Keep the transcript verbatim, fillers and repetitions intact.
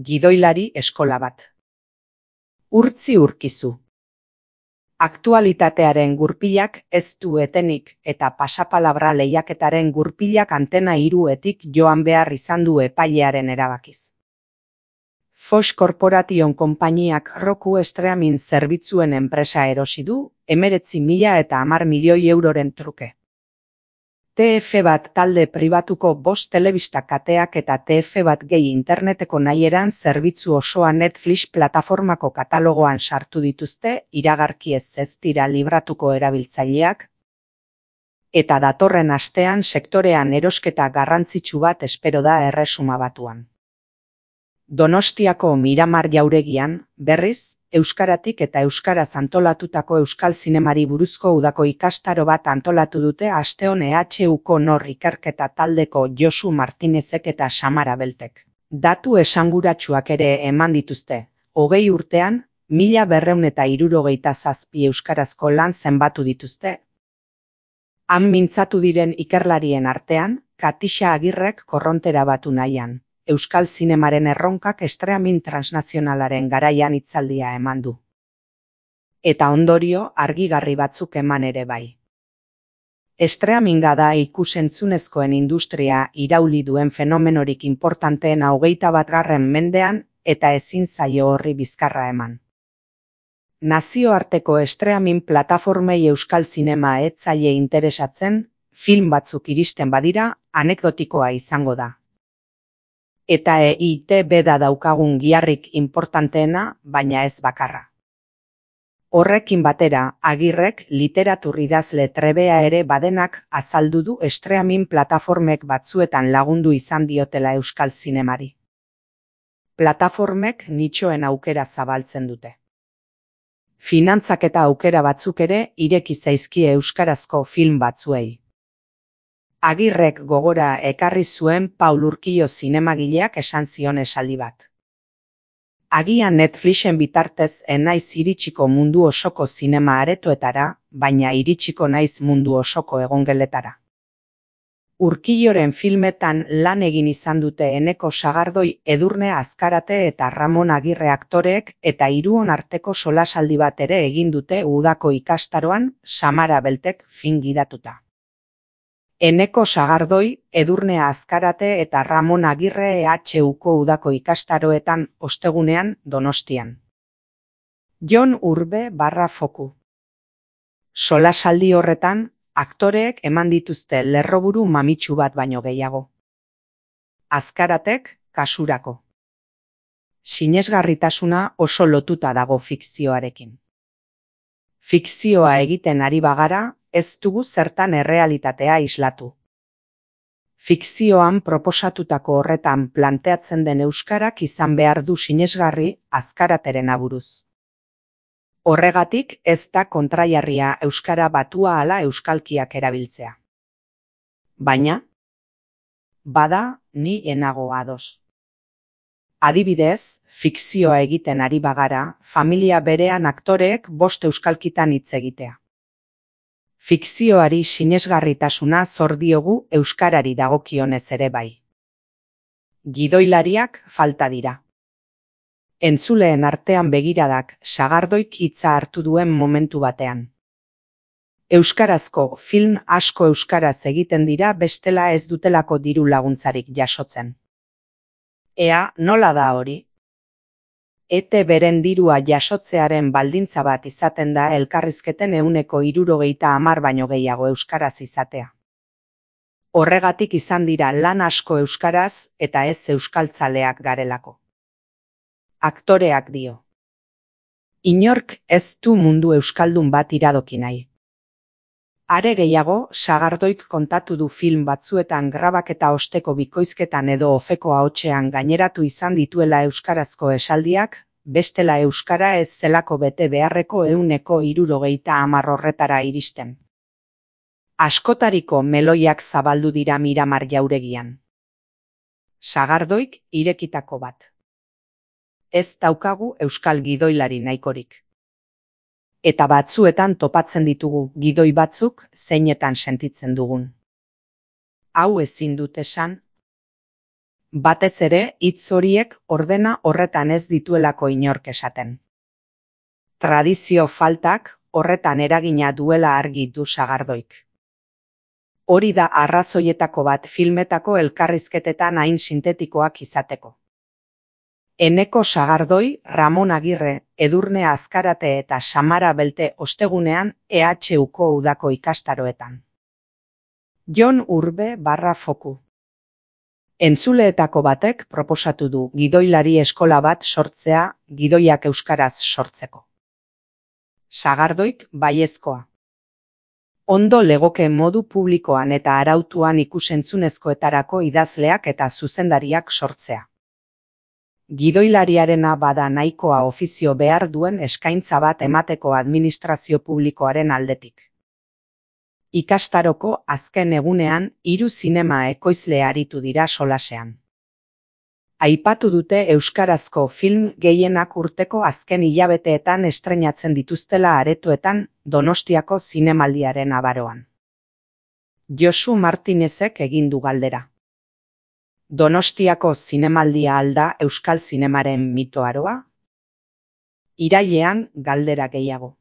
Gidoilari eskola bat. Urtzi urkizu. Aktualitatearen gurpilak ez du etenik eta pasapalabra lehiaketaren gurpilak antena hiruetik joan behar izan du epailearen erabakiz. Fox Corporation konpainiak Roku streaming zerbitzuen enpresa erosi du, hemeretzi mila eta hamar milioi euroren truke. T F bat talde pribatuko bost telebista kateak eta T F bat gehi interneteko nahieran zerbitzu osoa Netflix plataformako katalogoan sartu dituzte iragarki ez ez dira libratuko erabiltzaileak, eta datorren astean sektorean erosketa garrantzitsu bat espero da Erresuma Batuan. Donostiako Miramar jauregian, berriz, euskaratik eta euskaraz antolatutako euskal zinemari buruzko udako ikastaro bat antolatu dute asteon E H Uko nor ikerketa taldeko Josu Martinezek eta Samara Beltek. Datu esanguratsuak ere eman dituzte, hogei urtean, mila berrehun eta hirurogeita zazpi euskarazko lan zenbatu dituzte. Han mintzatu diren ikerlarien artean, Katixa Agirrek korrontera batu nahian. Euskal zinemaren erronkak streaming transnazionalaren garaian hitzaldia eman du. Eta ondorio argigarri batzuk eman ere bai. Streaminga da ikus-entzunezkoen industria irauli duen fenomenorik inportanteena hogeita batgarren mendean eta ezin zaio horri bizkarra eman. Nazioarteko streaming plataformei euskal zinema ez zaie interesatzen, film batzuk iristen badira, anekdotikoa izango da. Eta E I T B da daukagun giharrik inportanteena, baina ez bakarra. Horrekin batera, Agirrek literatur idazle trebea ere badenak azaldu du streaming plataformek batzuetan lagundu izan diotela euskal zinemari. Plataformek nitxoen aukera zabaltzen dute. Finantzak eta aukera batzuk ere ireki zaizkie euskarazko film batzuei. Agirrek gogora ekarri zuen Paul Urkio zinemagileak esan zion esaldi bat. Agian Netflixen bitartez enaiz iritsiko mundu osoko zinema aretoetara, baina iritsiko naiz mundu osoko egongeletara. Urkioren filmetan lan egin izan dute Eneko Sagardoi, Edurne Azkarate eta Ramon Agirre aktoreek eta hiruon arteko solasaldi bat ere egin dute udako ikastaroan Samara Beltek fin gidatuta. Eneko Sagardoi, Edurne Azkarate eta Ramon Agirre E H Uko udako ikastaroetan ostegunean Donostian. Jon Urbe barra foku. Solasaldi horretan, aktoreek eman dituzte lerroburu mamitsu bat baino gehiago. Azkaratek, kasurako. Sinesgarritasuna oso lotuta dago fikzioarekin. Fikzioa egiten ari bagara, ez dugu zertan errealitatea islatu. Fikzioan proposatutako horretan planteatzen den euskarak izan behar du sinesgarri Azkarateren aburuz. Horregatik ez da kontraiarria euskara batua ala euskalkiak erabiltzea. Baina, bada ni enago ados. Adibidez, fikzioa egiten ari bagara, familia berean aktoreek bost euskalkitan hitz egitea. Fikzioari sinesgarritasuna zor diogu euskarari dagokionez ere bai. Gidoilariak falta dira. Entzuleen artean begiradak Sagardoik hitza hartu duen momentu batean. Euskarazko film asko euskaraz egiten dira bestela ez dutelako diru laguntzarik jasotzen. Ea, nola da hori? E T beren dirua jasotzearen baldintza bat izaten da elkarrizketen ehuneko hirurogeita hamar baino gehiago euskaraz izatea. Horregatik izan dira lan asko euskaraz eta ez euskaltzaleak garelako. Aktoreak dio. Inork ez du mundu euskaldun bat iradoki nahi. Are gehiago, Sagardoik kontatu du film batzuetan grabaketa osteko bikoizketan edo ofeko ahotsean gaineratu izan dituela euskarazko esaldiak, bestela euskara ez zelako bete beharreko ehuneko hirurogeita hamar horretara iristen. Askotariko meloiak zabaldu dira Miramar jauregian. Sagardoik irekitako bat. Ez daukagu euskal gidoilari nahikorik. Eta batzuetan topatzen ditugu gidoi batzuk zeinetan sentitzen dugun. Hau ezin dut esan. Batez ere, hitz horiek ordena horretan ez dituelako inork esaten. Tradizio faltak horretan eragina duela argi du Sagardoik. Hori da arrazoietako bat filmetako elkarrizketetan hain sintetikoak izateko. Eneko Sagardoi, Ramon Agirre, Edurne Azkarate eta Samara Belte ostegunean E H Uko udako ikastaroetan. Jon Urbe barra foku. Entzuleetako batek proposatu du gidoilari eskola bat sortzea gidoiak euskaraz sortzeko. Sagardoik baiezkoa. Ondo legoke modu publikoan eta arautuan ikusentzunezkoetarako idazleak eta zuzendariak sortzea. Gidoilariarena bada nahikoa ofizio behar duen eskaintza bat emateko administrazio publikoaren aldetik. Ikastaroko azken egunean hiru zinema ekoizle aritu dira solasean. Aipatu dute euskarazko film gehienak urteko azken hilabeteetan estreinatzen dituztela aretoetan Donostiako zinemaldiaren abaroan. Josu Martinezek egin du galdera. Donostiako zinemaldia alda euskal zinemaren mito aroa? Irailean galdera gehiago.